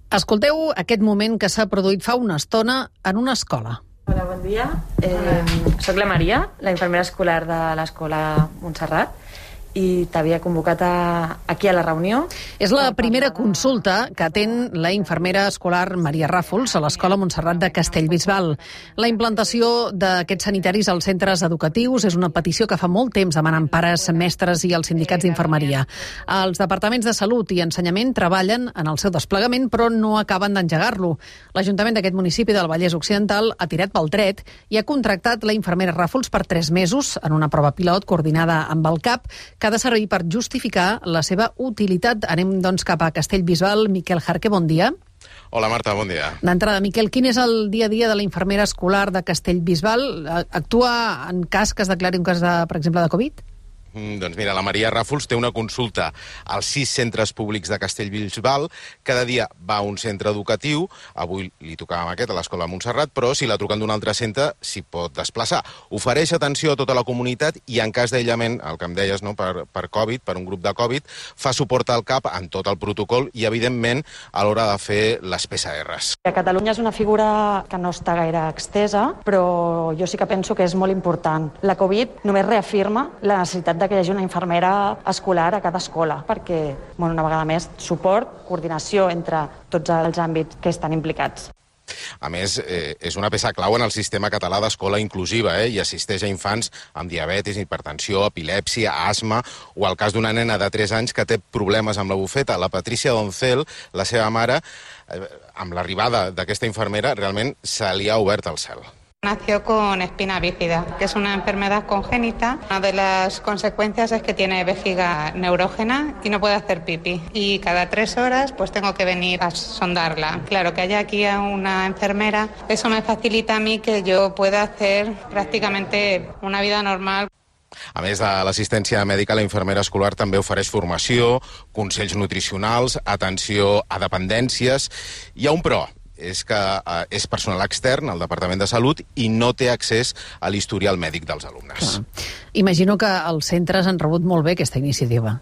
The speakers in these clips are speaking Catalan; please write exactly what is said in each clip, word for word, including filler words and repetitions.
Escolteu aquest moment que s'ha produït fa una estona en una escola. Hola, bon dia. Eh, soc la Maria, la infermera escolar de l'Escola Montserrat, i t'havia convocat a, aquí a la reunió. És la primera consulta que atén la infermera escolar Maria Ràfols a l'Escola Montserrat de Castellbisbal. La implantació d'aquests sanitaris als centres educatius és una petició que fa molt temps demanen pares, mestres i els sindicats d'infermeria. Els departaments de Salut i Ensenyament treballen en el seu desplegament, però no acaben d'engegar-lo. L'Ajuntament d'aquest municipi del Vallès Occidental ha tirat pel dret i ha contractat la infermera Ràfols per tres mesos en una prova pilot coordinada amb el C A P, que ha de servir per justificar la seva utilitat. Anem, doncs, cap a Castellbisbal. Miquel Jarque, bon dia. Hola, Marta, bon dia. D'entrada, Miquel, quin és el dia a dia de la infermera escolar de Castellbisbal? Actua en cas que es declari un cas, de, per exemple, de Covid? Mm, doncs mira, la Maria Ràfols té una consulta als sis centres públics de Castellbisbal. Cada dia va a un centre educatiu. Avui li tocava amb aquest, a l'Escola Montserrat, però si la truquen d'un altre centre s'hi pot desplaçar. Ofereix atenció a tota la comunitat i en cas d'aïllament, el que em deies, no, per, per Covid, per un grup de Covid, fa suport al C A P en tot el protocol i, evidentment, a l'hora de fer les P C Rs. A Catalunya és una figura que no està gaire extesa, però jo sí que penso que és molt important. La Covid només reafirma la necessitat de que hi hagi una infermera escolar a cada escola, perquè, bueno, una vegada més, suport, coordinació entre tots els àmbits que estan implicats. A més, eh, és una peça clau en el sistema català d'escola inclusiva eh, i assisteix a infants amb diabetis, hipertensió, epilèpsia, asma o el cas d'una nena de tres anys que té problemes amb la bufeta. La Patricia Doncel, la seva mare, eh, amb l'arribada d'aquesta infermera, realment se li ha obert el cel. Nació con espina bífida, que es una enfermedad congénita. Una de las consecuencias es que tiene vejiga neurógena y no puede hacer pipí. Y cada tres horas pues tengo que venir a sondarla. Claro, que haya aquí a una enfermera, eso me facilita a mí que yo pueda hacer prácticamente una vida normal. A més de l'assistència mèdica, la infermera escolar també ofereix formació, consells nutricionals, atenció a dependències. Hi ha un però. És que eh, és personal extern al Departament de Salut i no té accés a l'historial mèdic dels alumnes. Clar. Imagino que els centres han rebut molt bé aquesta iniciativa.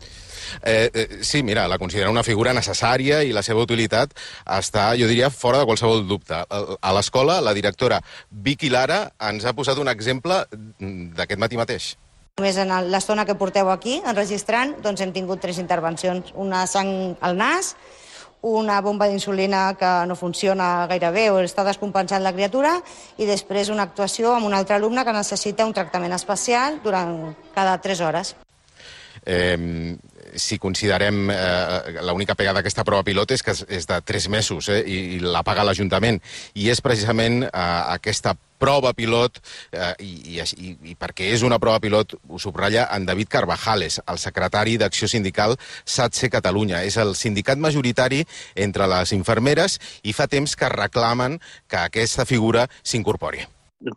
Eh, eh, sí, mira, la considera una figura necessària i la seva utilitat està, jo diria, fora de qualsevol dubte. A l'escola, la directora Vicky Lara ens ha posat un exemple d'aquest matí mateix. Només en l'estona que porteu aquí, enregistrant, doncs hem tingut tres intervencions. Una sang al nas, una bomba d'insulina que no funciona gaire bé o està descompensant la criatura i després una actuació amb un altre alumne que necessita un tractament especial durant cada tres hores. Eh, si considerem eh, l'única pega d'aquesta prova pilot és que és de tres mesos eh, i, i la paga l'Ajuntament i és precisament eh, aquesta prova pilot eh, i, i, i perquè és una prova pilot ho subratlla en David Carvajales, el secretari d'Acció Sindical SATSE Catalunya. És el sindicat majoritari entre les infermeres i fa temps que reclamen que aquesta figura s'incorpori.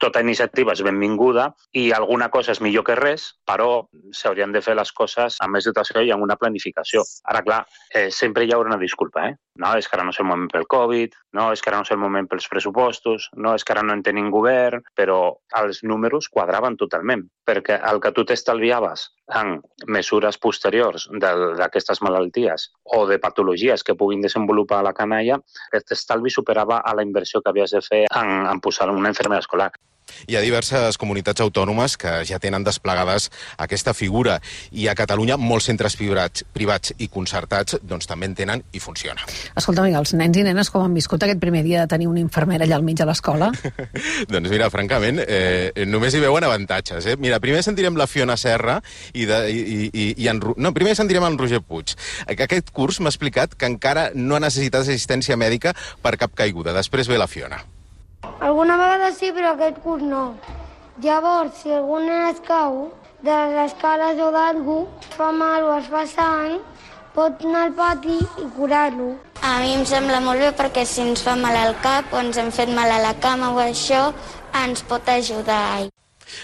Tota iniciativa és benvinguda i alguna cosa és millor que res, però s'haurien de fer les coses amb més dotació i amb una planificació. Ara, clar, eh, sempre hi haurà una disculpa, eh? No, és que ara no és el moment pel Covid, no, és que ara no és el moment pels pressupostos, no, és que ara no en tenim govern, però els números quadraven totalment, perquè el que tu t'estalviaves en mesures posteriors d'aquestes malalties o de patologies que puguin desenvolupar la canalla, aquest estalvi superava a la inversió que havies de fer en, en posar una infermera escolar. Hi ha diverses comunitats autònomes que ja tenen desplegades aquesta figura i a Catalunya molts centres privats, privats i concertats doncs, també en tenen i funciona. Escolta, amiga, els nens i nenes com han viscut aquest primer dia de tenir una infermera allà al mig de l'escola? Doncs mira, francament, eh, només hi veuen avantatges. Eh? Mira, primer sentirem la Fiona Serra i, de, i, i, i en, no, primer sentirem en Roger Puig. Aquest curs m'ha explicat que encara no ha necessitat assistència mèdica per cap caiguda. Després ve la Fiona. Alguna vegada sí, però aquest curs no. Llavors, si algú es cau de les escales o d'algú, fa mal o es fa sang, pot anar al pati i curar-lo. A mi em sembla molt bé perquè si ens fa mal al cap o ens hem fet mal a la cama o això, ens pot ajudar.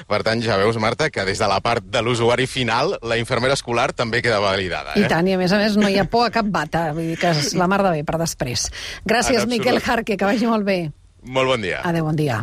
Per tant, ja veus, Marta, que des de la part de l'usuari final, la infermera escolar també queda validada. Eh? I tant, i a més a més no hi ha por a cap bata, vull dir que és la mar de bé per després. Gràcies, Miquel Jarque, que vagi molt bé. Molt bon dia. Adéu, bon dia.